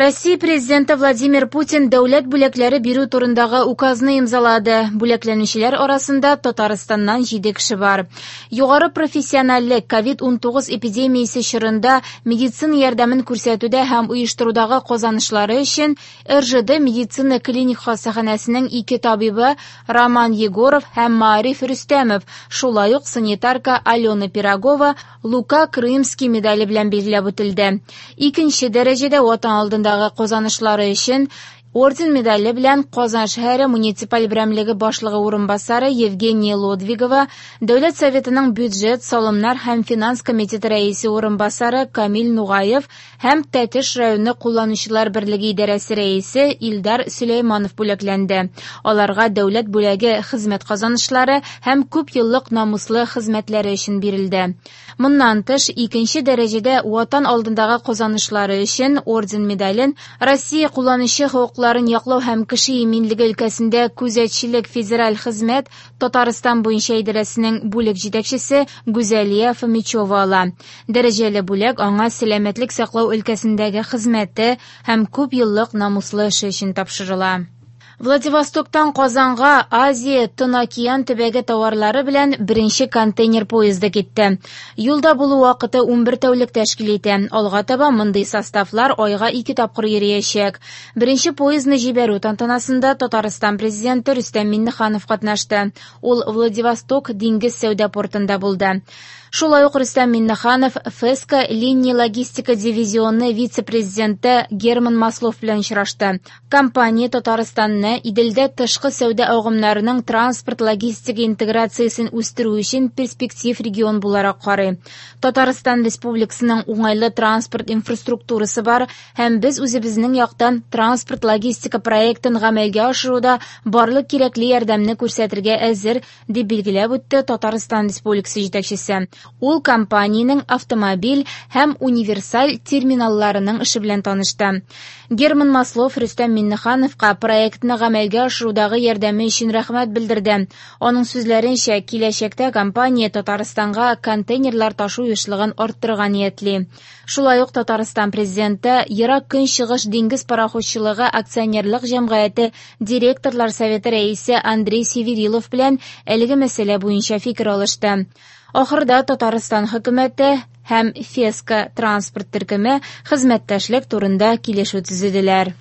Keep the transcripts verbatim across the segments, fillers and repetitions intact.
Россия Президенты Владимир Путин дәүләт бүләкләре бирү турындагы указны имзалады. Бүләкләнүчеләр арасында Татарстаннан җиде кеше бар. Югары профессиональлек ковид унтугыз эпидемиясе чорында медицина ярдәмен күрсәтүдә һәм оештырудагы казанышлары өчен Р Ж Д медицина клиник хастаханәсенең ике табибы Роман Егоров һәм Маариф Рөстәмов, шулай ук санитарка Алена Пирогова Лука Крымский медале белән билгеләп үтелде. Икенче дәрәҗәдә Ватан алдындагы казанышлары өчен орден медале белән Казан шәһәре муниципаль берәмлеге башлыгы урынбасары Евгения Лодвигова, Дәүләт Советының бюджет, салымнар һәм финанс комитеты рәисе урынбасары Камил Нугаев һәм Тәтеш районы кулланучылар берлеге идарәсе рәисе Илдар Сөләйманов бүләкләнде. Аларга дәүләт бүләге хезмәт казанышлары һәм күп еллык намуслы хезмәтләре өчен бирелде. Моннан тыш, икенче дәрәҗәдә Ватан алдындагы казанышлары өчен орден медален Россия кулланучы хокукларын яклау һәм кеше иминлеге өлкәсендә күзәтчелек федераль хезмәт Татарстан буенча идарәсенең бүлек җитәкчесе Гүзәлия Фомичева ала. Дәрәҗәле бүләк аңа сәламәтлек саклау өлкәсендәге хезмәте һәм күп еллык намуслы эше өчен тапшырыла. Владивостоктан Казанга Азия Тын океан төбәге товарлары белән беренче контейнер поезды китте. Юлда булу вакыты унбер тәүлек тәшкил итә. Алга таба мондый составлар айга ике тапкыр йөриячәк. Беренче поездны җибәрү тантанасында Татарстан президенты Рөстәм Миңнеханов катнашты. Ул Владивосток диңгез сәүдә портында булды. Шулай ук Рөстәм Миңнеханов ФЭСКО линия логистика дивизионы вице-президенты Герман Маслов белән очрашты. Компания Татарстанны Иделдә тышкы сәүдә агымнарының транспорт-логистика интеграциясен үстерү өчен перспектив регион буларак карый. Татарстан Республикасының уңайлы транспорт инфраструктурасы бар һәм без үзебезнең яктан транспорт-логистика проектын гамәлгә ашыруда барлык кирәкле ярдәмне күрсәтергә әзер, дип билгеләп үтте Татарстан Республикасы җитәкчесе. Ул компаниянең автомобиль һәм универсаль терминалларының эше белән танышты. Герман Маслов Рөстәм Миңнехановка проектны гамәлгә ашырудагы ярдәме өчен рәхмәт белдерде. Аның сүзләренчә, киләчәктә компания Татарстанга контейнерлар ташу ешлыгын арттырырга ниятли. Шулай ук Татарстан президенты Ерак Көнчыгыш диңгез пароходчылыгы акционерлык җәмгыяте директорлар советы рәисе Андрей Северилов белән әлеге мәсьәлә буенча фикер алышты. Ахырда Татарстан хөкүмәте һәм ФЭСКО транспорт төркеме хезмәттәшлек турында килешү төзеделәр.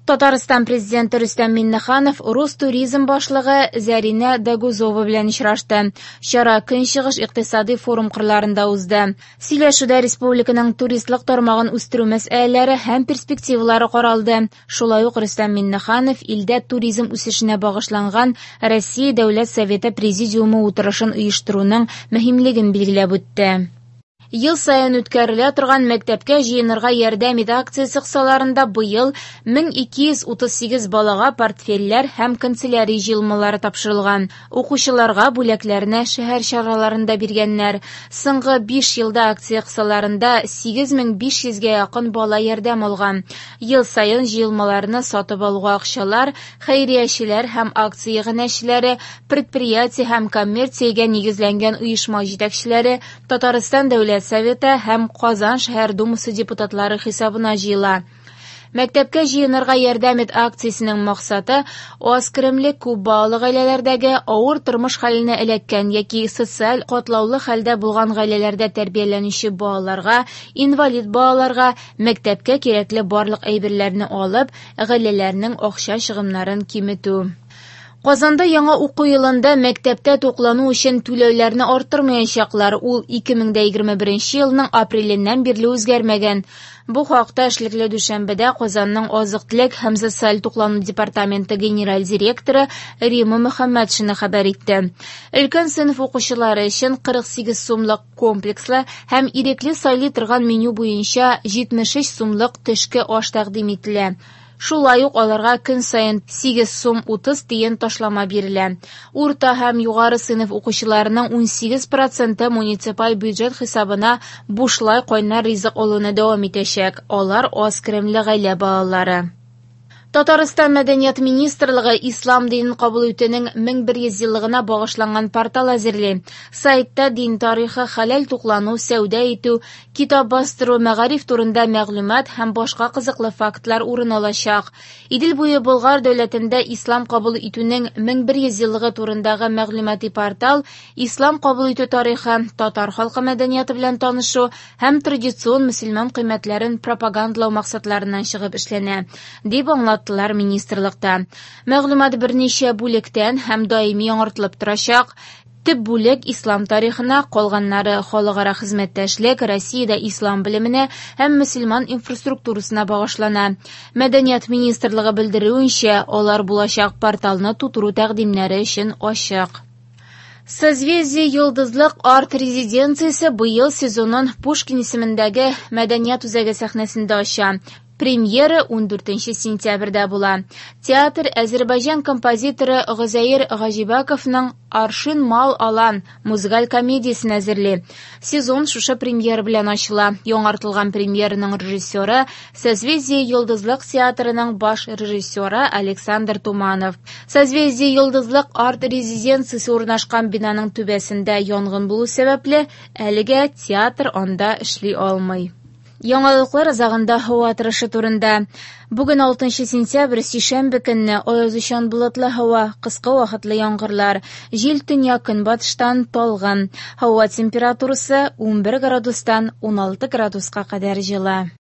Татарстан президенты Рөстәм Миңнеханов Ростуризм башлыгы Зәринә Дагузова белән очрашты. Чара Көнчыгыш икътисади форум кырларында узды. Сөйләшүдә республиканың туристлык тармагын үстерү мәсьәләләре һәм перспективалары каралды. Шулай ук Рөстәм Миңнеханов илдә туризм үсешенә багышланган Россия Дәүләт Советы Президиумы утырышын оештыруның мөһимлеген билгеләп үтте. Ел саен үткәрелә торган мәктәпкә җыенырга ярдәм ит акциясе кысаларында быел мең ике йөз утыз сигез балага портфельләр һәм канцелярия җыелмалары тапшырылган. Укучыларга бүләкләрне шәһәр чараларында биргәннәр. Соңгы биш елда акция кысаларында сигез мең биш йөзгә якын бала ярдәм алган. Ел саен җыелмаларны сатып алуга акчалар хәйриячеләр һәм акция иганәчеләре, предприятие һәм коммерциягә нигезләнгән оешма җитәкчеләре, Татарстан Дәүләт Советы һәм Казан шәһәр Думасы депутатлары хисабына җыела. Мәктәпкә җыенырга ярдәм ит акциясенең максаты аз керемле күп балалы гаиләләрдәге авыр тормыш хәленә эләккән яки социаль катлаулы хәлдә булган гаиләләрдә тәрбияләнүче балаларга, инвалид балаларга мәктәпкә кирәкле барлык әйберләрне алып, гаиләләрнең акча чыгымнарын киметү. Казанда яңа уку елында мәктәптә туклану өчен түләүләрне арттырмаячаклар. Ул ике мең дә егерме беренче елның апреленнән бирле үзгәрмәгән. Бу хакта эшлекле дүшәмбедә Казанның азык-төлек һәм социаль туклану департаменты генераль директоры Рима Мөхәммәтшина хәбәр итте. Өлкән сыйныф укучылары өчен кырык сигез сумлык комплекслы һәм ирекле сайлый торган меню буенча җитмеш өч сумлык төшке аш тәкъдим ителә. Шулай ук аларга көн саен сигез сум утыз тиен ташлама бирелә. Урта һәм югары сыйныф укучыларының ун сигез проценты муниципаль бюджет хисабына бушлай кайнар ризык алуны дәвам итәчәк. Алар аз керемле гаилә балалары. Татарстан Мәдәният министрлыгы ислам динен кабул итүнең мең бер йөз еллыгына багышланган портал әзерли. Сайтта дин тарихы, хәләл туклану, сәүдә итү, китап бастыру, мәгариф турында мәгълүмат һәм башка кызыклы фактлар урын алачак. Идел буе Болгар дәүләтендә ислам кабул итүнең мең бер йөз еллыгы турындагы мәгълүмати портал ислам кабул итү тарихы, татар халкы мәдәнияте белән танышу һәм традицион мөселман кыйммәтләрен пропагандалау максатларыннан чыгып эшләнә, дип аңлатты министрлыкта. Мәгълүмат берничә бүлектән һәм даими яңартылып торачак. Төп бүлек ислам тарихына, калганнары халыкара хезмәттәшлек, Россиядә ислам белеменә һәм мөселман инфраструктурасына багышлана. Мәдәният министрлыгы белдерүенчә, алар булачак порталны тутыру тәкъдимнәре өчен ачык. Созвездие Йолдызлык арт-резиденциясе быел сезонын Пушкин исемендәге мәдәният үзәге сәхнәсендә ача. Премьера ундүртенче сентябрьдә була. Театр Азербайҗан композиторы Гозәир Гаҗибаковның «Аршин мал алан» музыкаль комедиясен әзерли. Сезон шушы премьера белән ачыла. Яңартылган премьераның режиссеры Созвездие Йолдызлык театрының баш режиссеры Александр Туманов. Созвездие Йолдызлык арт-резиденциясе урнашкан бинаның түбәсендә янгын булу сәбәпле, әлегә театр анда эшли алмый. Яңалыклар азагында һава торышы турында. Бүген алтынчы сентябрь, сишәмбе көнне аязучан болытлы һава, кыска вакытлы яңгырлар, җил төньяк-көнбатыштан талгын. Һава температурасы унбер градустан уналты градуска кадәр җылы.